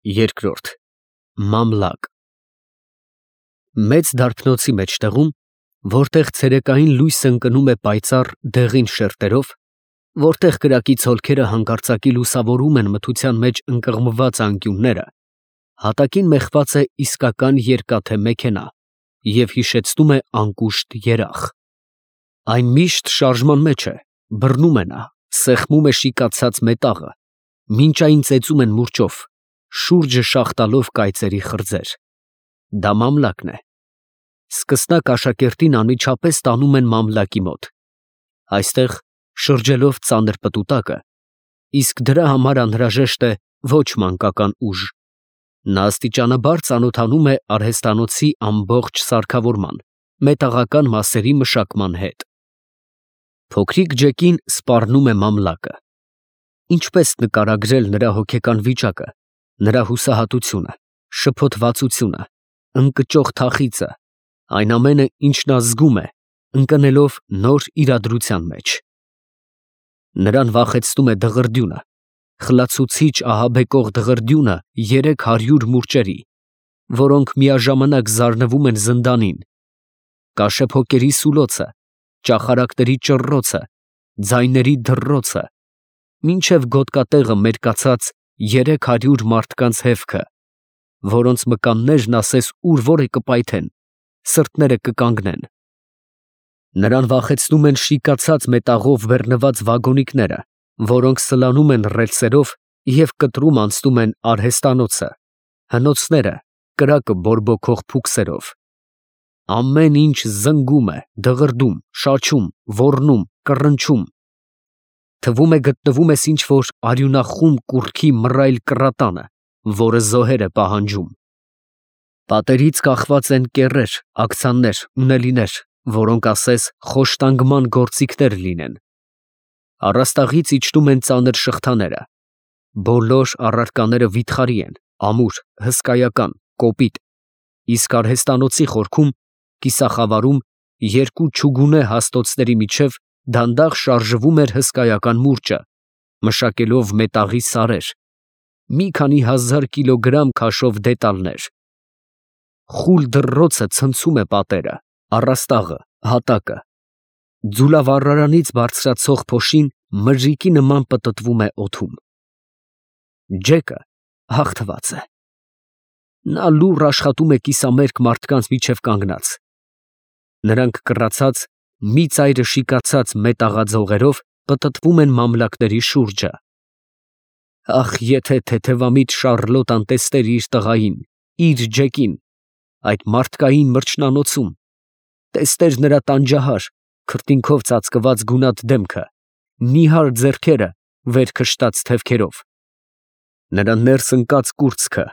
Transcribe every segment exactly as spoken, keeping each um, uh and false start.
Երկրորդ Մամլակ Մեծ դարբնոցի մեջտեղում, որտեղ ցերեկային լույսը ընկնում է պայծառ դեղին շերտերով, որտեղ կրակից հոլքերը հանկարծակի լուսավորում են մթության մեջ ընկղմված անկյունները, հատակին մեխված է իսկական երկաթե մեքենա և հիշեցնում է անկուշտ երախ. այն միշտ շարժման մեջ է, բռնում է նա, սեղմում է շիկացած մետաղը, մինչային ծեծում են մուրճով, շուրջը շաղ տալով կայծերի խրձեր. դա մամլակն է. սկսնակ աշակերտին անմիջապես տանում են մամլակի մոտ, այստեղ շրջելով ծանր պտուտակը, իսկ դրա համար անհրաժեշտ է ոչ մանկական ուժ. նա աստիճանաբար ծանոթանում է արհեստանոցի ամբողջ սարքավորման, մետաղական մասերի մշակման հետ։ Փոքրիկ Ջեկին սպառնում է մամլակը. ինչպես նկարագրել նրա հոգեկան վիճակը, նրա հուսահատությունը, շփոթվածությունը, ընկճող թախիծը, այն ամենը, ինչ նա զգում է, ընկնելով նոր իրադրության մեջ։ Նրան վախեցնում է դղրդյունը, խլացուցիչ ահաբեկող դղրդյունը երեք հարյուր մուրճերի, որոնք միաժամանակ զարնվում են զնդանին, կաշեփոկերի սուլոցը, ճախարակների ճռռոցը, ձայների դռռոցը, մինչև գոտկատեղը մերկացած երեք հարյուր մարդկանց հևքը, որոնց մկաններն ասես ուր որ է կպայթեն, սրտերը կկանգնեն։ Նրան վախեցնում են շիկացած մետաղով բեռնված վագոնիկները, որոնք սլանում են ռելսերով և կտրում անցնում են արհեստանոցը, հնոցները, կրակը բորբոքող փուքսերով։ Ամեն ինչ զնգում է, դղրդում, շաչում, ոռնում, կռնչում, թվում է գտնվում ես ինչ֊որ արյունախում կուռքի մռայլ կռատանը, որը զոհեր է պահանջում։ Պատերից կախված են կեռեր, աքցաններ, ունելիներ, որոնք ասես խոշտանգման գործիքներ լինեն։ Առաստաղից իջնում են ծանր շղթաները, բոլոր առարկաները վիթխարի են, ամուր, հսկայական, կոպիտ, իսկ արհեստանոցի խորքում, կիսախավարում, երկու չուգունե հաստոցների միջև դանդաղ շարժվում էր հսկայական մուրճը, մշակելով մետաղի սարեր, մի քանի հազար կիլոգրամ քաշով դետալներ։ Խուլ դռռոցը ցնցում է պատերը, առաստաղը, հատակը, ձուլավառարանից բարձրացող փոշին մրրիկի նման պտտվում է օդում։ Ջեկը հաղթված է։ Նա լուռ աշխատում է կիսամերկ մարդկանց միջև կանգնած։ Նրանք կռացած, մի ծայրը շիկացած մետաղաձողերով պտտվում են մամլակների շուրջը։ Ախ, եթե թեթևամիտ Շառլոտան տեսներ իր տղային, իր Ջեկին, այդ մարդկային մրջնանոցում, տեսներ նրա տանջահար, քրտինքով ծածկված գունատ դեմքը, նիհար ձեռքերը վեր քշտած թևքերով, նրա ներս ընկած կուրծքը,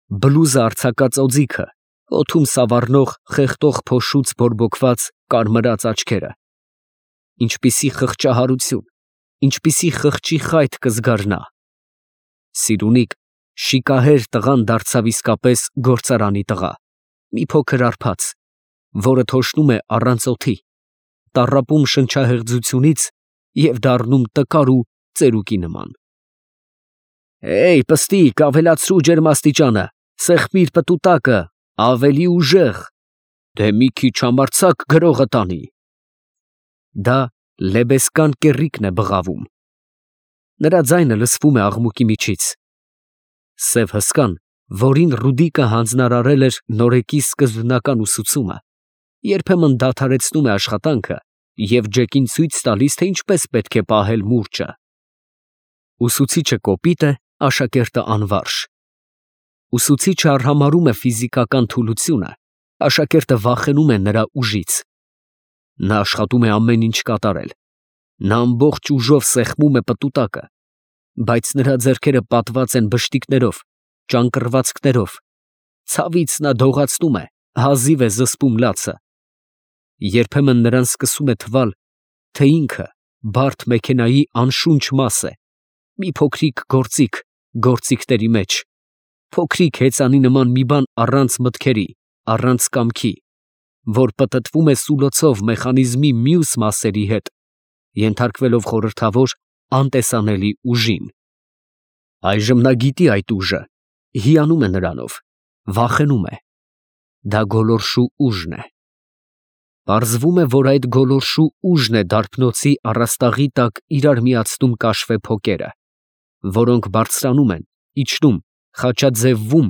բլուզը արձակած օձիքը, օդում սավառնող խեղդող փոշուց բորբոքված կարմրած աչքերը, ինչպիսի խղճահարություն, ինչպիսի խղճի խայթ կզգար նա։ Սիրունիկ, շիկահեր տղան դարձավ իսկապես գործարանի տղա, մի փոքր արբած, որը թոշնում է առանց օդի, տառապում շնչահեղձությունից և դառնում տկար ու ծերուկի նման։ Էյ, պստիկ, ավելացրու ջերմաստիճանը, սեղմիր պտուտակը, ավելի ուժեղ, դե մի քիչ համարձակ գրողը տանի։ Դա լեբեսկան կեռիկն է բղավում։ Նրա ձայնը լսվում է աղմուկի միջից։ Սև հսկան, որին Ռուդիկը հանձնարարել էր նորեկի սկզբնական ուսուցումը, երբեմն դադարեցնում է աշխատանքը և Ջեկին ցույց տալիս, թե ինչպես պետք է պահել մուրճը։ Ուսուցիչը կոպիտ է, աշակերտը անվարժ։ Ուսուցիչը արհամարհում է ֆիզիկական թուլությունը, աշակերտը վախենում է նրա ուժից։ Նա աշխատում է ամեն ինչ կատարել։ Նա ամբողջ ուժով սեղմում է պտուտակը, բայց նրա ձեռքերը պատված են բշտիկներով, ճանկռվածքներով, ցավից նա դողացնում է, հազիվ է զսպում լացը։ Երբեմն նրան սկսում է թվալ, թե ինքը բարդ մեքենայի անշունչ մաս է, մի փոքրիկ գործիք գործիքների մեջ, փոքրիկ հեծանի նման մի բան առանց մտքերի, առանց կամքի, որ պտտվում է սուլոցով մեխանիզմի մյուս մասերի հետ, ենթարկվելով խորհրդավոր անտեսանելի ուժին։ Այժմ նա գիտի այդ ուժը, հիանում է նրանով, վախենում է։ Դա գոլորշու ուժն է։ Պարզվում է, որ այդ գոլորշու ուժն է դարբնոցի առաստաղի տակ իրար միացնում կաշվե փոկերը, որոնք բարձրանում են, իջնում, խաչաձևվում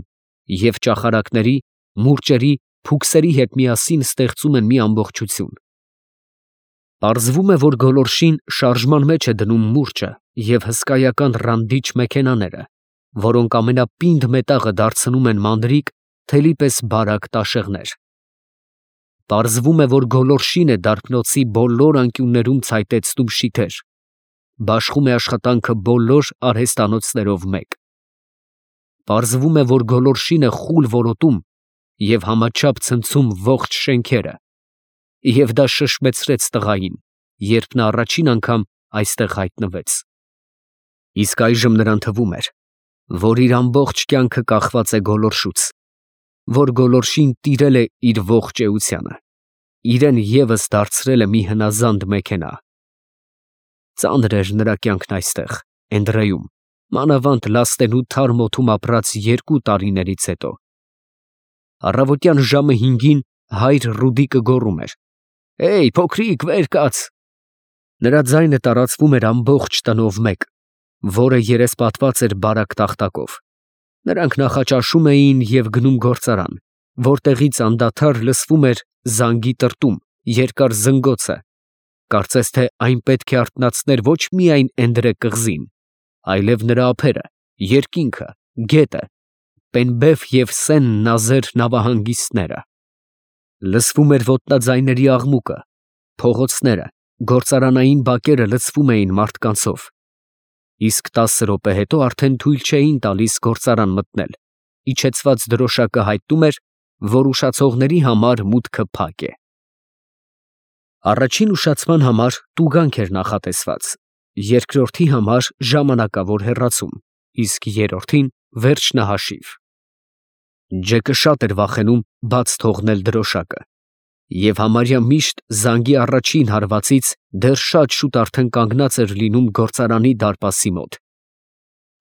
և ճախարակների, մուրճերի, փուքսերի հետ միասին ստեղծում են մի ամբողջություն։ Պարզվում է, որ գոլորշին շարժման մեջ է դնում մուրճը և հսկայական ռանդիչ մեքենաները, որոնք ամենապինդ մետաղը դարձնում են մանրիկ, թելի պես բարակ տաշեղներ։ Պարզվում է, որ գոլորշին է դարբնոցի բոլոր անկյուններում ցայտեցնում շիթեր, բաշխում է աշխատանքը բոլոր արհեստանոցներով մեկ։ Պարզվում է, որ գոլորշին է խուլ որոտում և համաչափ ցնցում ողջ շենքերը, և դա շշմեցրեց տղային, երբ նա առաջին անգամ այստեղ հայտնվեց։ Իսկ այժմ նրան թվում էր, որ իր ամբողջ կյանքը կախված է գոլորշուց, որ գոլորշին տիրել է իր ողջ էությանը, իրեն ևս դարձրել է մի հնազանդ մեքենա։ Ծանր էր նրա կյանքն այստեղ, Էնդրեում, մանավանդ լաստենու թարմ օդում ապրած երկու տարիներից հետո։ Առավոտյան ժամը հինգին հայր Ռուդիկը գոռում էր. «Հեյ, փոքրիկ, վեր կաց»։ Նրա ձայնը տարածվում էր ամբողջ տնով մեկ, որը երեսպատված էր բարակ տախտակով։ Նրանք նախաճաշում էին և գնում գործարան, որտեղից անդադար լսվում էր զանգի տրտում, երկար զնգոցը, կարծես թե այն պետք է արթնացներ ոչ միայն Էնդրե կղզին, այլև նրա ափերը, երկինքը, գետը, Պենբեֆ և Սեն Նազեր նավահանգիստները։ Լսվում էր ոտնաձայների աղմուկը, փողոցները, գործարանային բակերը լցվում էին մարդկանցով։ Իսկ տասը րոպե հետո արդեն թույլ չէին տալիս գործարան մտնել, իջեցված դրոշակը հայտնում էր, որ ուշացողների համար մուտքը փակ է։ Առաջին ուշացման համար տուգանք էր նախատեսված, երկրորդի համար ժամանակավոր հեռացում, իսկ երրորդին վերջնահաշիվ։ Ջեկը շատ էր վախենում բաց թողնել դրոշակը, և համարյա միշտ զանգի առաջին հարվածից դեռ շատ շուտ արդեն կանգնած էր լինում գործարանի դարպասի մոտ։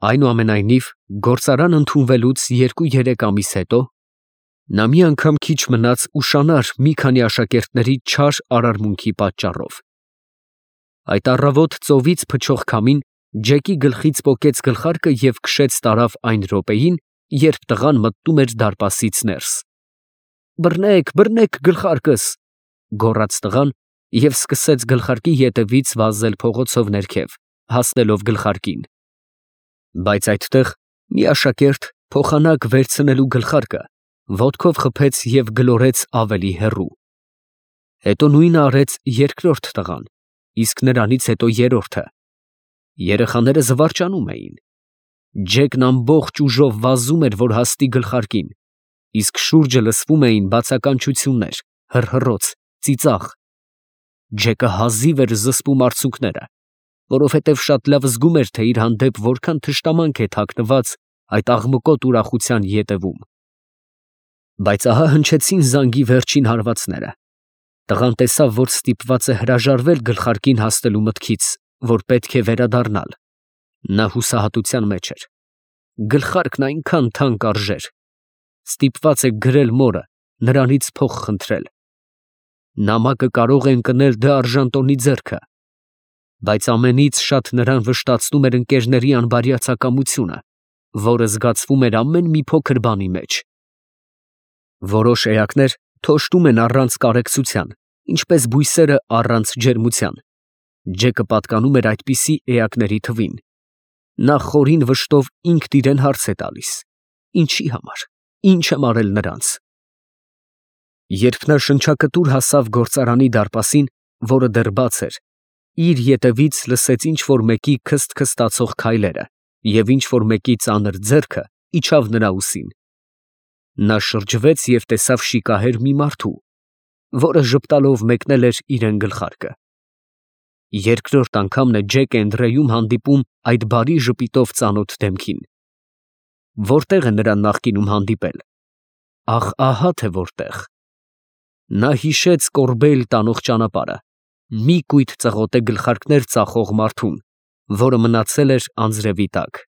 Այնուամենայնիվ, գործարան ընդունվելուց երկու֊երեք ամիս հետո նա մի անգամ քիչ մնաց ուշանար մի քանի աշակերտների չար արարմունքի պատճառով։ Այդ առավոտ ծովից փչող քամին Ջեկի գլխից պոկեց գլխարկը և քշեց տարավ այն րոպեին, երբ տղան մտնում էր դարպասից ներս։ «Բռնեք, բռնեք գլխարկս», գոռաց տղան և սկսեց գլխարկի ետևից վազել փողոցով ներքև, հասնելով գլխարկին։ Բայց այդտեղ մի աշակերտ, փոխանակ վերցնելու գլխարկը, ոտքով խփեց և գլորեց ավելի հեռու։ Հետո նույնը արեց երկրորդ տղան, իսկ նրանից հետո երրորդը։ Երեխաները զվարճանում էին։ Ջեկն ամբողջ ուժով վազում էր, որ հասնի գլխարկին, իսկ շուրջը լսվում էին բացականչություններ, հռհռոց, ծիծաղ։ Ջեկը հազիվ էր զսպում արցունքները, որովհետև շատ լավ զգում էր, թե իր հանդեպ որքան թշնամանք է թաքնված այդ աղմկոտ ուրախության ետևում։ Բայց ահա հնչեցին զանգի վերջին հարվածները։ Տղան տեսավ, որ ստիպված է հրաժարվել գլխարկին հասնելու մտքից, որ պետք է վերադառնալ։ Նա հուսահատության մեջ էր։ Գլխարկն այնքան թանկ արժեր։ Ստիպված է գրել մորը, նրանից փող խնդրել։ Նամակը կարող է ընկնել դարժանտոնի ձեռքը։ Բայց ամենից շատ նրան վշտացնում էր ընկերների անբարյացակամությունը, որը զգացվում էր ամեն մի փոքր բանի մեջ։ Որոշ էակներ թոշտում են առանց կարեկցության, ինչպես բույսերը առանց ջերմության։ Ջեկը պատկանում էր այդպիսի էակների թվին։ Նա խորին վշտով ինքն իրեն հարց է տալիս. ինչի համար, ինչ եմ արել նրանց։ Երբ նա շնչակտուր հասավ գործարանի դարպասին, որը դեռ բաց էր, իր ետևից լսեց ինչ֊որ մեկի քսթ֊քստացող քայլերը, և ինչ֊որ մեկի ծանր ձեռքը իջավ նրա ուսին։ Նա շրջվեց և տեսավ շիկահեր մի մարդու, որը ժպտալով մեկնել էր իրան գլխարկը։ Երկրորդ անգամն է Ջեկը Էնդրեում հանդիպում այդ բարի ժպիտով ծանոթ դեմքին։ Որտե՞ղ է նրան նախկինում հանդիպել։ Ախ, ահա թե որտեղ։ Նա հիշեց Կորբեյլ տանող ճանապարհը, մի կույտ ծղոտե գլխարկներ ծախող մարդուն, որը մնացել էր անձրևի տակ։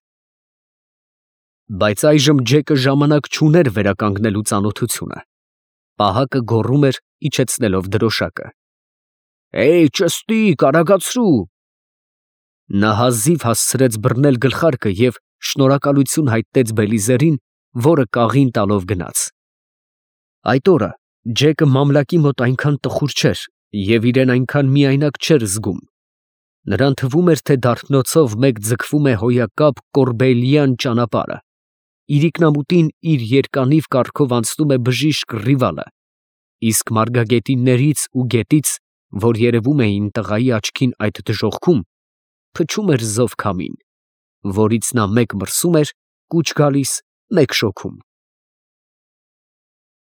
Բայց այժմ Ջեկը ժամանակ չուներ վերականգնելու ծանոթությունը։ Պահակը գոռում էր, իջեցնելով դրոշակը. «Էյ, ճստիկ, արագացրու»։ Նա հազիվ հասցրեց բռնել գլխարկը և շնորհակալություն հայտնեց Բելիզերին, որը կաղին տալով գնաց։ Այդ օրը Ջեկը մամլակի մոտ այնքան տխուր չէր և իրան այնքան միայնակ չէր զգում։ Նրան թվում էր, թե դարբնոցով մեկ ձգվում է հոյակապ կորբեիլյան ճանապարհը, իրիկնամուտին իր երկանիվ կառքով անցնում է բժիշկ Ռիվալը, իսկ մարգագետիններից ու գետից, որ երևում էին տղայի աչքին այդ դժոխքում, փչում էր զով քամին, որից նա մեկ մրսում էր, կուչ գալիս, մեկ շոգում։